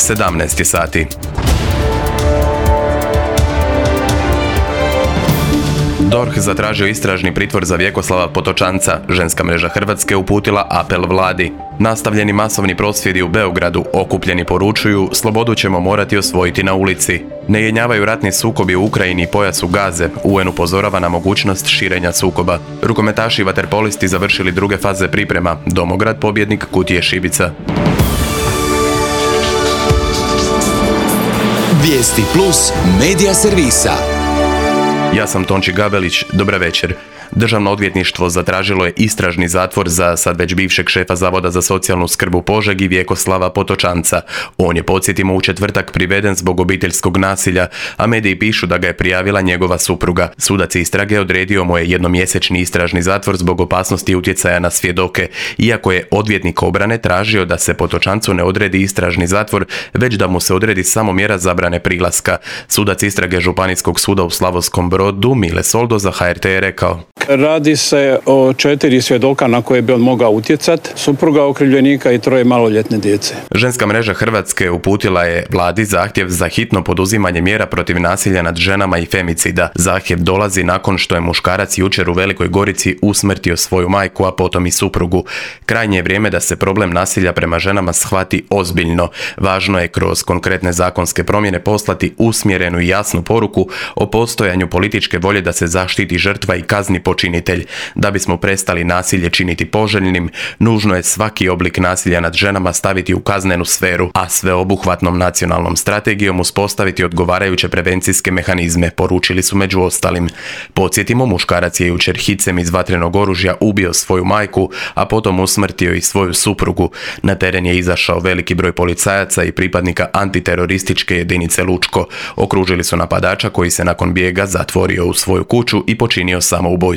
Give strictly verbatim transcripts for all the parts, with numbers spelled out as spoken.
sedamnaest sati. D O R H zatražio istražni pritvor za Vjekoslava Potočanca. Ženska mreža Hrvatske uputila apel vladi. Nastavljeni masovni prosvjedi u Beogradu, okupljeni poručuju: slobodu ćemo morati osvojiti na ulici. Ne jenjavaju ratni sukobi u Ukrajini i pojasu Gaze. U N upozorava na mogućnost širenja sukoba. Rukometaši i vaterpolisti završili druge faze priprema. Domograd pobjednik Kutije Šibica. Vijesti plus medija servisa. Ja sam Tonči Gabelić, dobra večer. Državno odvjetništvo zatražilo je istražni zatvor za sad već bivšeg šefa Zavoda za socijalnu skrb u Požegi Vjekoslava Potočanca. On je, podsjetimo, u četvrtak priveden zbog obiteljskog nasilja, a mediji pišu da ga je prijavila njegova supruga. Sudac istrage odredio mu je jednomjesečni istražni zatvor zbog opasnosti utjecaja na svjedoke, iako je odvjetnik obrane tražio da se Potočancu ne odredi istražni zatvor, već da mu se odredi samo mjera zabrane prilaska. Sudac istrage Županijskog suda u Slavonskom Brodu Mile Soldo za H R T je rekao: radi se o četiri svjedoka na koje bi on mogao utjecati, supruga okrivljenika i troje maloljetne djece. Ženska mreža Hrvatske uputila je vladi zahtjev za hitno poduzimanje mjera protiv nasilja nad ženama i femicida. Zahtjev dolazi nakon što je muškarac jučer u Velikoj Gorici usmrtio svoju majku, a potom i suprugu. Krajnje je vrijeme da se problem nasilja prema ženama shvati ozbiljno. Važno je kroz konkretne zakonske promjene poslati usmjerenu i jasnu poruku o postojanju političke volje da se zaštiti žrtva i kazni počinitelj. Da bismo prestali nasilje činiti poželjnim, nužno je svaki oblik nasilja nad ženama staviti u kaznenu sferu, a sveobuhvatnom nacionalnom strategijom uspostaviti odgovarajuće prevencijske mehanizme, poručili su među ostalim. Podsjetimo, muškarac je jučer hicem iz vatrenog oružja ubio svoju majku, a potom usmrtio i svoju suprugu. Na teren je izašao veliki broj policajaca i pripadnika antiterorističke jedinice Lučko. Okružili su napadača koji se nakon bijega zatvorio u svoju kuću i počinio samoubojstvo.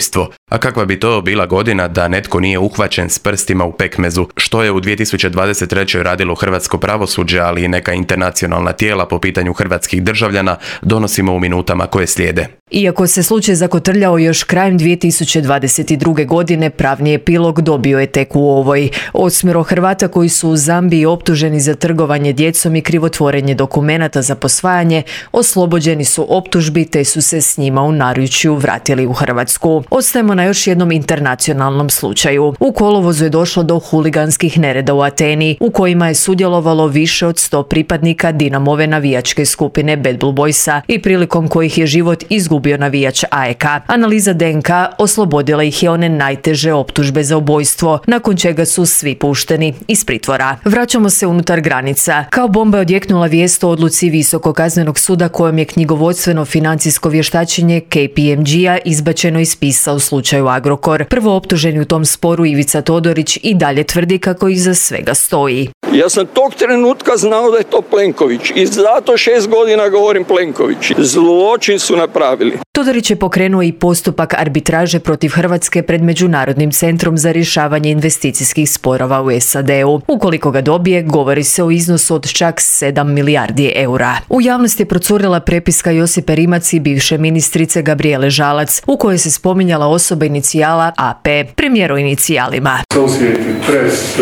A kakva bi to bila godina da netko nije uhvaćen s prstima u pekmezu, što je u dvije tisuće dvadeset trećoj radilo hrvatsko pravosuđe, ali i neka internacionalna tijela po pitanju hrvatskih državljana, donosimo u minutama koje slijede. Iako se slučaj zakotrljao još krajem dvije tisuće dvadeset druge. godine, pravni epilog dobio je tek u ovoj. Osmero Hrvata koji su u Zambiji optuženi za trgovanje djecom i krivotvorenje dokumenata za posvajanje oslobođeni su optužbi te su se s njima u naručju vratili u Hrvatsku. Ostajemo na još jednom internacionalnom slučaju. U kolovozu je došlo do huliganskih nereda u Ateni, u kojima je sudjelovalo više od sto pripadnika Dinamove navijačke skupine Bad Blue Boysa i prilikom kojih je život izgubio navijač A E K. Analiza D N K oslobodila ih je one najteže optužbe za ubojstvo, nakon čega su svi pušteni iz pritvora. Vraćamo se unutar granica. Kao bomba je odjeknula vijest o odluci Visokog kaznenog suda kojom je knjigovodstveno financijsko vještačenje K P M G-a izbačeno iz spisa u slučaju Agrokor. Prvo optuženi u tom sporu Ivica Todorić i dalje tvrdi kako iza svega stoji. Ja sam tog trenutka znao da je to Plenković i zato šest godina govorim Plenković. Zločin su napravili. Todorić je pokrenuo i postupak arbitraže protiv Hrvatske pred Međunarodnim centrom za rješavanje investicijskih sporova u S A D-u. Ukoliko ga dobije, govori se o iznosu od čak sedam milijardi eura. U javnosti je procurila prepiska Josipe Rimac i bivše ministrice Gabrijele Žalac, u kojoj se spominjala osoba inicijala A P, premijer o inicijalima. Associated Press,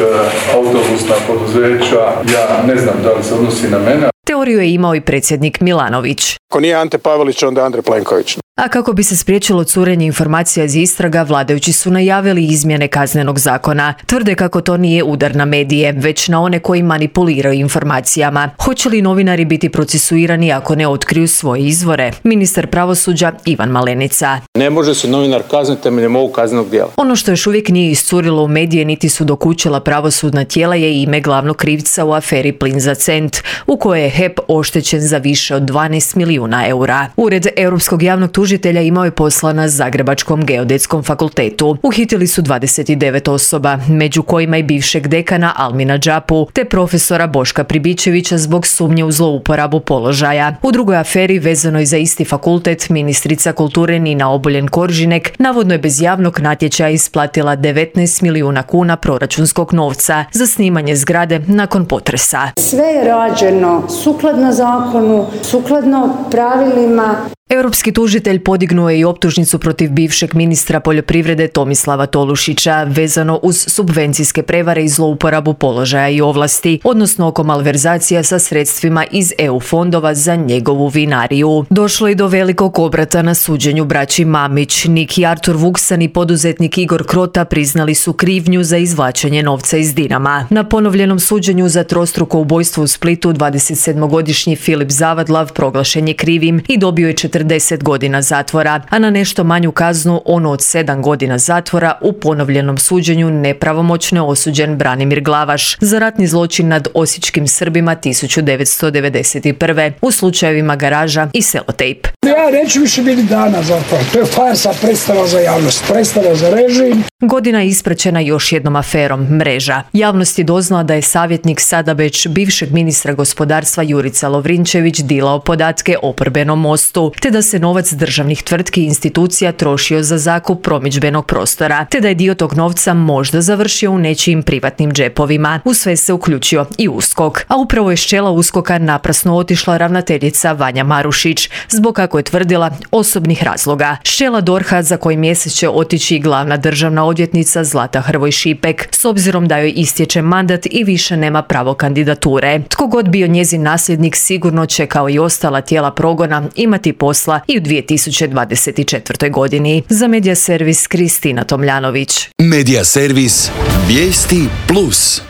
autobusna poduzeća, ja ne znam da li se odnosi na mene. Teoriju je imao i predsjednik Milanović. Ako nije Ante Pavelić, onda Andrej Plenković. A kako bi se spriječilo curenje informacija iz istraga, vladajući su najavili izmjene kaznenog zakona. Tvrde kako to nije udar na medije, već na one koji manipuliraju informacijama. Hoće li novinari biti procesuirani ako ne otkriju svoje izvore? Ministar pravosuđa Ivan Malenica. Ne može se novinar kazniti temeljem ovog kaznenog djela. Ono što još uvijek nije iscurilo u medije niti su dokučila pravosudna tijela je ime glavnog krivca u aferi Plin za cent, u kojoj je H E P oštećen za više od dvanaest milijuna eura. Ured Europskog javnog tužitelja imao je posla na Zagrebačkom geodetskom fakultetu. Uhitili su dvadeset devet osoba, među kojima i bivšeg dekana Almina Đapu, te profesora Boška Pribičevića zbog sumnje u zlouporabu položaja. U drugoj aferi, vezanoj za isti fakultet, ministrica kulture Nina Obuljen Koržinek navodno je bez javnog natječaja isplatila devetnaest milijuna kuna proračunskog novca za snimanje zgrade nakon potresa. Sve je rađeno sukladno zakonu, sukladno pravilima. Europski tužitelj podignuo je i optužnicu protiv bivšeg ministra poljoprivrede Tomislava Tolušića vezano uz subvencijske prevare i zlouporabu položaja i ovlasti, odnosno oko malverzacija sa sredstvima iz E U fondova za njegovu vinariju. Došlo je do velikog obrata na suđenju braći Mamić. Niki Artur Vuksan i poduzetnik Igor Krota priznali su krivnju za izvlačenje novca iz Dinama. Na ponovljenom suđenju za trostruko ubojstvo u Splitu dvadesetsedmogodišnji Filip Zavadlav proglašen je krivim i dobio je četrdeset godina zatvora, a na nešto manju kaznu, ono od sedam godina zatvora, u ponovljenom suđenju nepravomoćno osuđen Branimir Glavaš za ratni zločin nad osječkim Srbima tisuću devetsto devedeset prve u slučajevima Garaža i Selotejp. Ja neću više biti dana za to. To je farsa, predstava za javnost, predstava za režim. Godina je ispraćena još jednom aferom Mreža. Javnost je doznala da je savjetnik sada već bivšeg ministra gospodarstva Jurica Lovrinčević dilao podatke oporbenom Mostu, te da se novac državnih tvrtki i institucija trošio za zakup promidžbenog prostora, te da je dio tog novca možda završio u nečijim privatnim džepovima. U sve se uključio i USKOK, a upravo je s čela USKOK-a naprasno otišla ravnateljica Vanja Marušić, zbog, kako je tvrdila, osobnih razloga. S čela D O R H-a za koji mjesec će otići i glavna državna odvjetnica Zlata Hrvoj Šipek, s obzirom da joj istječe mandat i više nema pravo kandidature. Tko god bio njezin nasljednik sigurno će, kao i ostala tijela progona, imati posla i u dvije tisuće dvadeset četvrtoj godini. Za Medija servis Kristina Tomljanović. Medija servis Vijesti plus.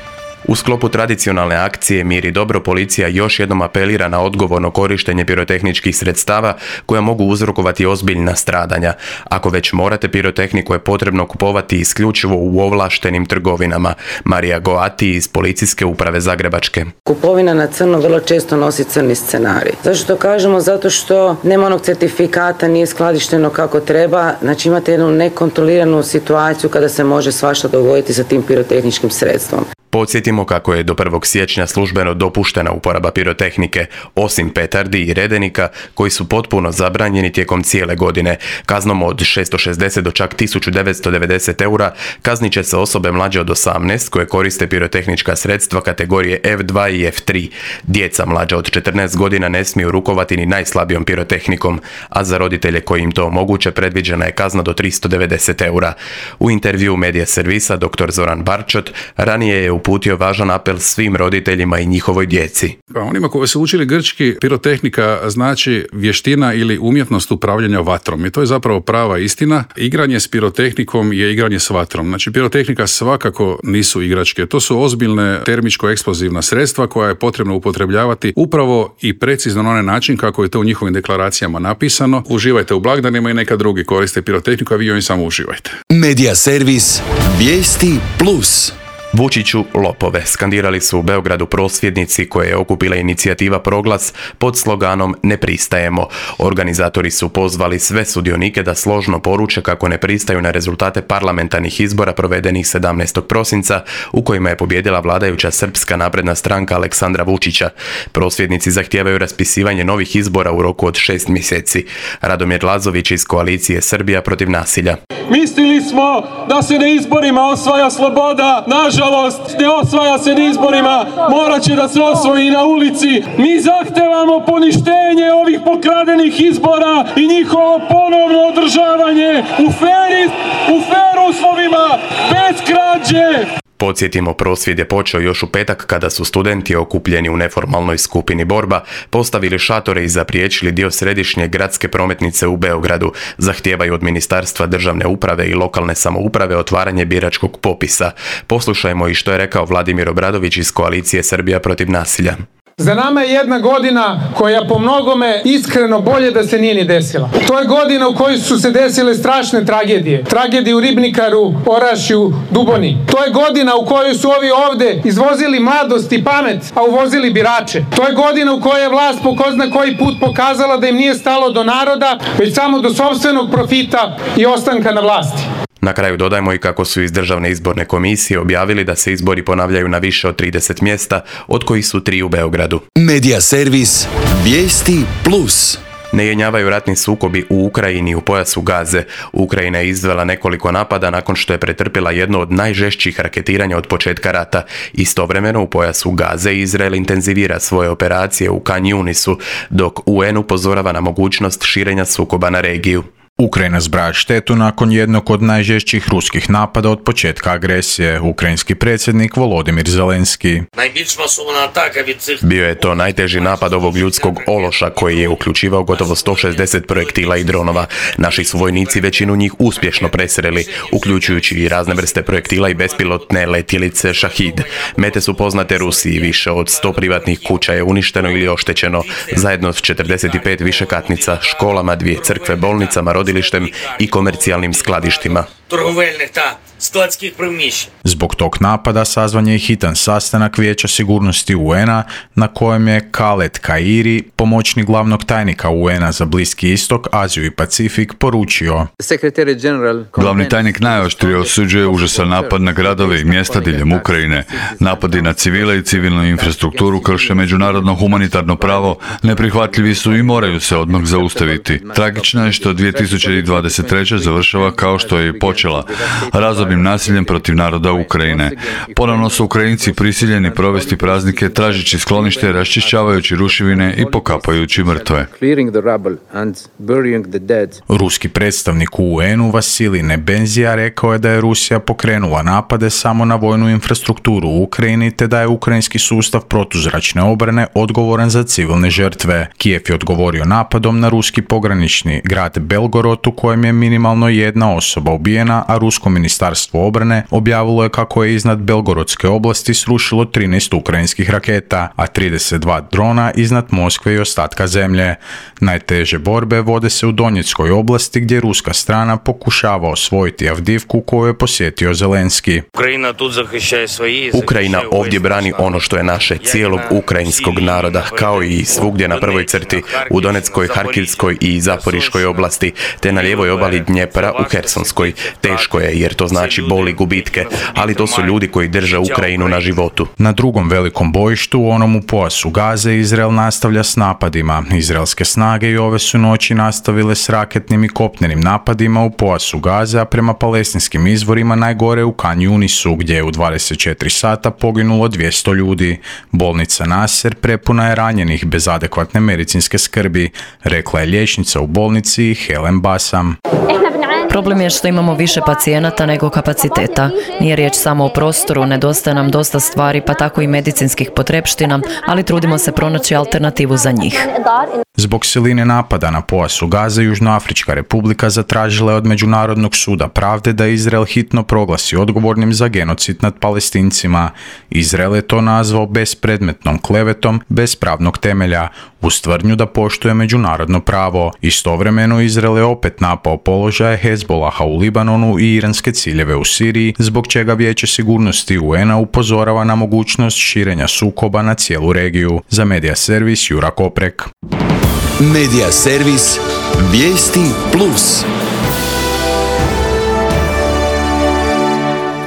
U sklopu tradicionalne akcije Mir i dobro policija još jednom apelira na odgovorno korištenje pirotehničkih sredstava koja mogu uzrokovati ozbiljna stradanja. Ako već morate, pirotehniku je potrebno kupovati isključivo u ovlaštenim trgovinama. Marija Goati iz Policijske uprave Zagrebačke. Kupovina na crno vrlo često nosi crni scenarij. Zašto to kažemo? Zato što nema onog certifikata, nije skladišteno kako treba. Znači imate jednu nekontroliranu situaciju kada se može svašta dogoditi sa tim pirotehničkim sredstvom. Podsjetimo kako je do prvog siječnja službeno dopuštena uporaba pirotehnike, osim petardi i redenika, koji su potpuno zabranjeni tijekom cijele godine. Kaznom od šesto šezdeset do čak tisuću devetsto devedeset eura kaznit će se osobe mlađe od osamnaest koje koriste pirotehnička sredstva kategorije F dva i F tri. Djeca mlađa od četrnaest godina ne smiju rukovati ni najslabijom pirotehnikom, a za roditelje koji im to omoguće predviđena je kazna do tristo devedeset eura. U intervju Medija servisa dr. Zoran Barčot ranije je uputio važan apel svim roditeljima i njihovoj djeci. Pa onima koji su učili grčki, pirotehnika znači vještina ili umjetnost upravljanja vatrom. I to je zapravo prava istina. Igranje s pirotehnikom je igranje s vatrom. Znači pirotehnika svakako nisu igračke. To su ozbiljne termičko-eksplozivna sredstva koja je potrebno upotrebljavati upravo i precizno na onaj način kako je to u njihovim deklaracijama napisano. Uživajte u blagdanima i neka drugi koriste pirotehniku, a vi joj samo uživajte. Medija servis Vijesti plus. Vučiću lopove, skandirali su u Beogradu prosvjednici koje je okupila inicijativa Proglas pod sloganom Ne pristajemo. Organizatori su pozvali sve sudionike da složno poruče kako ne pristaju na rezultate parlamentarnih izbora provedenih sedamnaestog prosinca u kojima je pobijedila vladajuća Srpska napredna stranka Aleksandra Vučića. Prosvjednici zahtijevaju raspisivanje novih izbora u roku od šest mjeseci. Radomir Lazović iz koalicije Srbija protiv nasilja. Mislili smo da se na izborima osvaja sloboda, nažalost ne osvaja se na izborima, morat će da se osvoji na ulici. Mi zahtevamo poništenje ovih pokradenih izbora i njihovo ponovno održavanje u feri, u fer uslovima, bez krađe. Podsjetimo, prosvjed je počeo još u petak kada su studenti okupljeni u neformalnoj skupini Borba postavili šatore i zapriječili dio središnje gradske prometnice u Beogradu. Zahtijevaju od Ministarstva državne uprave i lokalne samouprave otvaranje biračkog popisa. Poslušajmo i što je rekao Vladimir Obradović iz koalicije Srbija protiv nasilja. Za nama je jedna godina koja po mnogome iskreno bolje da se nije ni desila. To je godina u kojoj su se desile strašne tragedije. Tragedije u Ribnikaru, Orašju, Duboni. To je godina u kojoj su ovi ovde izvozili mladost i pamet, a uvozili birače. To je godina u kojoj je vlast po ko zna koji put pokazala da im nije stalo do naroda, već samo do sopstvenog profita i ostanka na vlasti. Na kraju dodajmo i kako su iz Državne izborne komisije objavili da se izbori ponavljaju na više od trideset mjesta, od kojih su tri u Beogradu. Medija servis Vijesti plus. Ne jenjavaju ratni sukobi u Ukrajini i u pojasu Gaze. Ukrajina je izvela nekoliko napada nakon što je pretrpjela jedno od najžešćih raketiranja od početka rata. Istovremeno u pojasu Gaze Izrael intenzivira svoje operacije u Khan Yunisu, dok U N upozorava na mogućnost širenja sukoba na regiju. Ukrajina zbraja štetu nakon jednog od najžešćih ruskih napada od početka agresije, ukrajinski predsjednik Volodimir Zelenski. Bio je to najteži napad ovog ljudskog ološa koji je uključivao gotovo sto šezdeset projektila i dronova. Naši su vojnici većinu njih uspješno presreli, uključujući i razne vrste projektila i bespilotne letjelice Šahid. Mete su poznate Rusiji, više od sto privatnih kuća je uništeno ili oštećeno, zajedno s četrdeset pet višekatnica, školama, dvije crkve, bolnicama, rodilištem i komercijalnim skladištima. Zbog tog napada sazvan je i hitan sastanak Vijeća sigurnosti U N a na kojem je Khaled Kairi, pomoćnik glavnog tajnika U N a za Bliski istok, Aziju i Pacifik, poručio: Glavni tajnik najoštrije osuđuje užasan napad na gradove i mjesta diljem Ukrajine. Napadi na civile i civilnu infrastrukturu krše međunarodno humanitarno pravo, neprihvatljivi su i moraju se odmah zaustaviti. Tragično je što dvije tisuće dvadeset treća završava kao što je i počela, razornim nasiljem protiv naroda Ukrajine. Ponovno su Ukrajinci prisiljeni provesti praznike tražeći sklonište, raščišćavajući ruševine i pokapajući mrtve. Ruski predstavnik u U N u Vasilij Nebenzija rekao je da je Rusija pokrenula napade samo na vojnu infrastrukturu u Ukrajini te da je ukrajinski sustav protuzračne obrane odgovoran za civilne žrtve. Kijev je odgovorio napadom na ruski pogranični grad Belgorod u kojem je minimalno jedna osoba ubijena, a rusko ministarstvo obrane objavilo je kako je iznad Belgorodske oblasti srušilo trinaest ukrajinskih raketa, a trideset dva drona iznad Moskve i ostatka zemlje. Najteže borbe vode se u Donjeckoj oblasti gdje ruska strana pokušava osvojiti Avdivku koju je posjetio Zelenski. Ukrajina ovdje brani ono što je naše, cijelog ukrajinskog naroda, kao i svugdje na prvoj crti, u Donetskoj, Harkivskoj i Zaporiškoj oblasti, te na lijevoj obali Dnjepra u Hersonskoj. Teško je jer to znači bol i gubitke, ali to su ljudi koji drže Ukrajinu na životu. Na drugom velikom bojištu, onom u pojasu Gaze, Izrael nastavlja s napadima. Izraelske snage i ove su noći nastavile s raketnim i kopnenim napadima u pojasu Gaze, a prema palestinskim izvorima najgore u Khan Yunisu, gdje je u dvadeset četiri sata poginulo dvjesto ljudi. Bolnica Nasser prepuna je ranjenih bez adekvatne medicinske skrbi, rekla je liječnica u bolnici Helen Basam. Problem je što imamo više pacijenata nego kapaciteta. Nije riječ samo o prostoru, nedostaje nam dosta stvari, pa tako i medicinskih potrepština, ali trudimo se pronaći alternativu za njih. Zbog siline napada na pojasu Gaze, Južnoafrička republika zatražila je od Međunarodnog suda pravde da Izrael hitno proglasi odgovornim za genocid nad Palestincima. Izrael je to nazvao bespredmetnom klevetom bez pravnog temelja, uz tvrdnju da poštuje međunarodno pravo. Istovremeno Izrael je opet napao položaje Hezbolaha u Libanonu i iranske ciljeve u Siriji, zbog čega Vijeće sigurnosti U N a upozorava na mogućnost širenja sukoba na cijelu regiju. Za Medija servis Jura Koprek. Medija servis Vijesti Plus.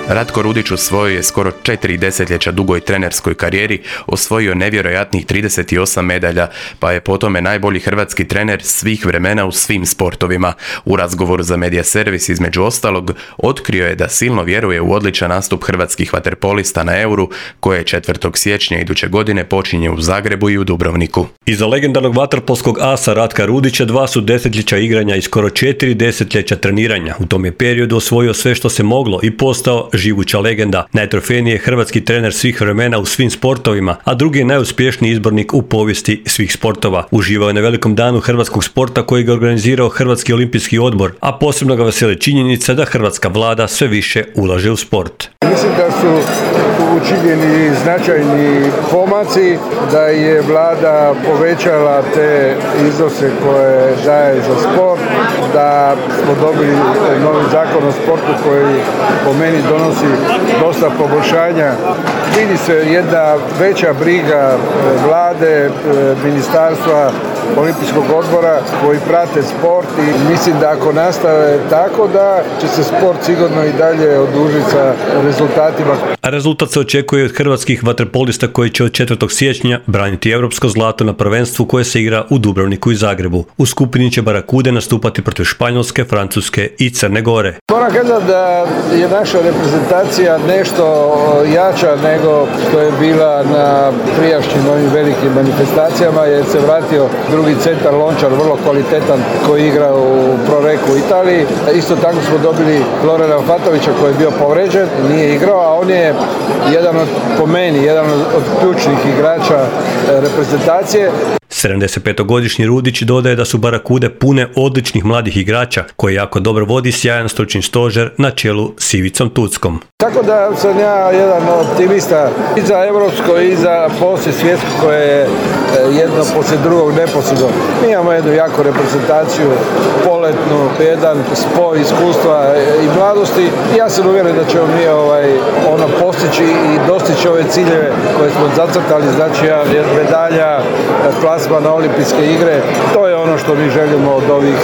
Ratko Rudić u svojoj je skoro četiri desetljeća dugoj trenerskoj karijeri osvojio nevjerojatnih trideset osam medalja, pa je po tome najbolji hrvatski trener svih vremena u svim sportovima. U razgovoru za Medija servis između ostalog otkrio je da silno vjeruje u odličan nastup hrvatskih vaterpolista na Euru, koje četvrtog siječnja iduće godine počinje u Zagrebu i u Dubrovniku. Iza legendarnog vaterpolskog asa Ratka Rudića dva su desetljeća igranja i skoro četiri desetljeća treniranja. U tom je periodu osvojio sve što se moglo i postao živuća legenda. Najtrofejniji je hrvatski trener svih vremena u svim sportovima, a drugi je najuspješniji izbornik u povijesti svih sportova. Uživao je na velikom danu hrvatskog sporta koji ga organizirao Hrvatski olimpijski odbor, a posebno ga veseli činjenica da hrvatska vlada sve više ulaže u sport. Mislim da su učinjeni značajni pomaci, da je vlada povećala te iznose koje daje za sport, da smo dobili novi zakon o sportu koji po meni donosi dosta poboljšanja. Vidi se jedna veća briga vlade, ministarstva olimpijskog odbora koji prate sport i mislim da ako nastave tako da će se sport sigurno i dalje odužiti sa rezultatima. A rezultat se očekuje od hrvatskih vaterpolista koji će od četvrtog siječnja braniti europsko zlato na prvenstvu koje se igra u Dubrovniku i Zagrebu. U skupini će Barakude nastupati protiv Španjolske, Francuske i Crne Gore. Moram kazati da je naša reprezentacija nešto jača nego što je bila na prijašnjim ovim velikim manifestacijama jer se vratio drugi centar Lončar, vrlo kvalitetan koji igra u Proreku u Italiji. Isto tako smo dobili Florena Fatovića koji je bio povređen, nije igrao, a on je jedan od, po meni, jedan od ključnih igrača reprezentacije. sedamdesetpetogodišnji Rudić dodaje da su Barakude pune odličnih mladih igrača koji jako dobro vodi sjajan stručni stožer na čelu s Ivicom Tuckom. Tako da sam ja jedan optimista i za evropsko i za poslije svjetsko koje je jedno poslije drugog neposredno. Mi imamo jednu jaku reprezentaciju, poletnu, jedan spoj iskustva i mladosti i ja sam uvjeren da ćemo mi ovaj, ono postići i dostići ove ciljeve koje smo zacrtali, znači medalja, plasma na olimpijske igre. To je ono što mi želimo od ovih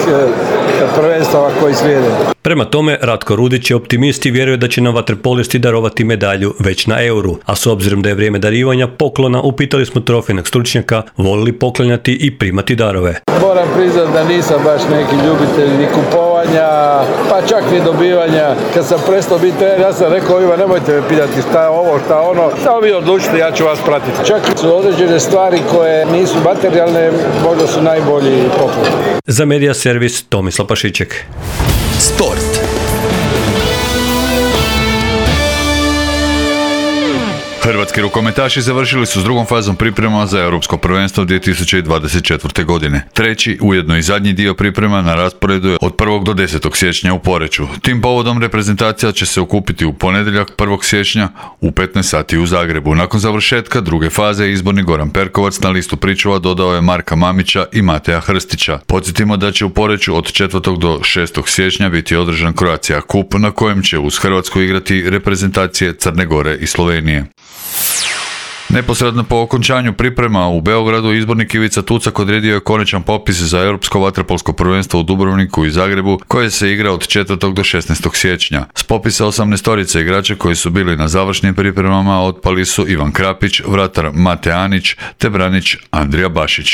prvenstava koji slijede. Prema tome, Ratko Rudić je optimist i vjeruje da će nam vaterpolisti darovati medalju već na Euru, a s obzirom da je vrijeme darivanja poklona, upitali smo trofejnog stručnjaka voli li poklanjati i primati darove. Moram priznati da nisam baš neki ljubitelj ni kupovanja, pa čak ni dobivanja. Kad sam prestao biti trener, ja sam rekao ovima nemojte me pitati šta je ovo, šta je ono, samo vi odlučite, ja ću vas pratiti. Čak su određene stvari koje nisu materijalne, možda su najbolji poklon. Za Medija servis Tomislav Pašiček. Sport. Hrvatski rukometaši završili su s drugom fazom priprema za Europsko prvenstvo dvije tisuće dvadeset četvrte. godine. Treći, ujedno i zadnji dio priprema na rasporedu je od prvog do desetog siječnja u Poreču. Tim povodom reprezentacija će se okupiti u ponedjeljak prvog siječnja u petnaest sati u Zagrebu. Nakon završetka druge faze izborni Goran Perkovac na listu pričuva dodao je Marka Mamića i Mateja Hrstića. Podsjetimo da će u Poreču od četvrtog do šestog siječnja biti održan Croatia Cup na kojem će uz Hrvatsku igrati reprezentacije Crne Gore i Slovenije. Neposredno po okončanju priprema u Beogradu izbornik Ivica Tucak odredio je konačan popis za Europsko vaterpolsko prvenstvo u Dubrovniku i Zagrebu koje se igra od četvrtog do šesnaestog siječnja. S popisa osamnaestorice igrača koji su bili na završnim pripremama otpali su Ivan Krapić, vratar Mate Anić te branič Andrija Bašić.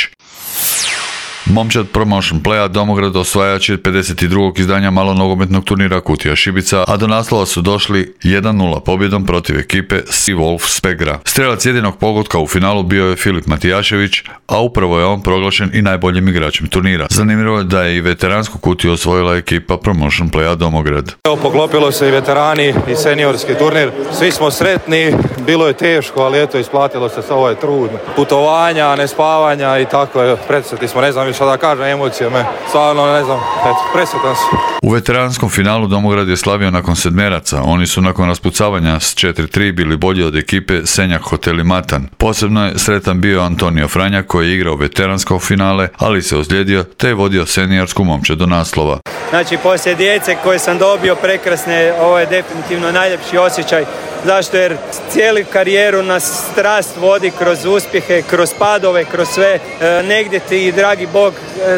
Momčad Promotion Playa Domograd osvajač je pedeset drugog izdanja malonogometnog turnira Kutija Šibica, a do naslova su došli jedan nula pobjedom protiv ekipe Sea Wolf Spegra. Strelac jedinog pogotka u finalu bio je Filip Matijašević, a upravo je on proglašen i najboljim igračem turnira. Zanimljivo je da je i veteransku kutiju osvojila ekipa Promotion Playa Domograd. Evo, poklopilo se i veterani i seniorski turnir. Svi smo sretni, bilo je teško, ali eto isplatilo se, ovo je trud. Putovanja, nespavanja i tako je, predsjetni smo, ne znam šta da kažem, emocije me, stvarno ne znam, eto, presjetan sam. U veteranskom finalu Domograd je slavio nakon sedmeraca, oni su nakon raspucavanja s četiri tri bili bolji od ekipe Senjak Hoteli Matan. Posebno je sretan bio Antonio Franjak koji je igrao veteransko finale, ali se ozlijedio te je vodio seniorsku momčad do naslova. Znači, poslije djece koje sam dobio prekrasne, ovo je definitivno najljepši osjećaj. Zašto? Jer cijelu karijeru nas strast vodi kroz uspjehe, kroz padove, kroz sve. E, negdje ti, dragi Bog,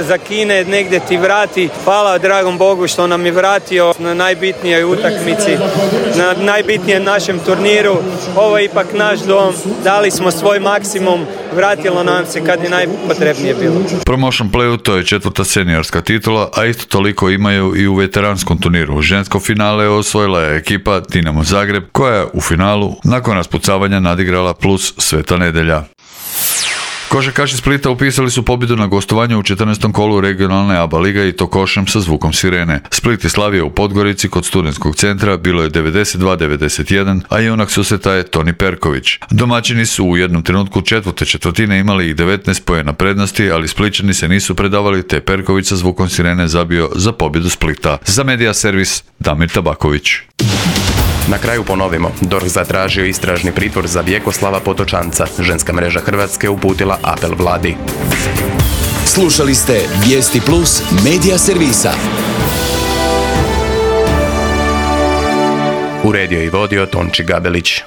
zakine, negdje ti vrati. Hvala dragom Bogu što nam je vratio na najbitnijoj utakmici, na najbitnijem našem turniru. Ovo je ipak naš dom, dali smo svoj maksimum, vratilo nam se kad je najpotrebnije bilo. Promotion Playu to je četvrta seniorska titula, a isto toliko imaju i u veteranskom turniru. Žensko finale osvojila je ekipa Dinamo Zagreb, koja je u finalu nakon raspucavanja nadigrala plus Sveta Nedelja. Košarkaši Splita upisali su pobjedu na gostovanju u četrnaestom kolu regionalne A B A lige i to košem sa zvukom sirene. Split je slavio u Podgorici kod studentskog centra, bilo je devedeset dva devedeset jedan, a junak susreta je Toni Perković. Domaćini su u jednom trenutku četvrte četvrtine imali i devetnaest poena prednosti, ali Splićani se nisu predavali te Perković sa zvukom sirene zabio za pobjedu Splita. Za Medija servis Damir Tabaković. Na kraju ponovimo, D O R H zatražio istražni pritvor za Vjekoslava Potočanca. Ženska mreža Hrvatske uputila apel vladi. Slušali ste Vijesti Plus Medija servisa. Uredio i vodio Tonči Gabelić.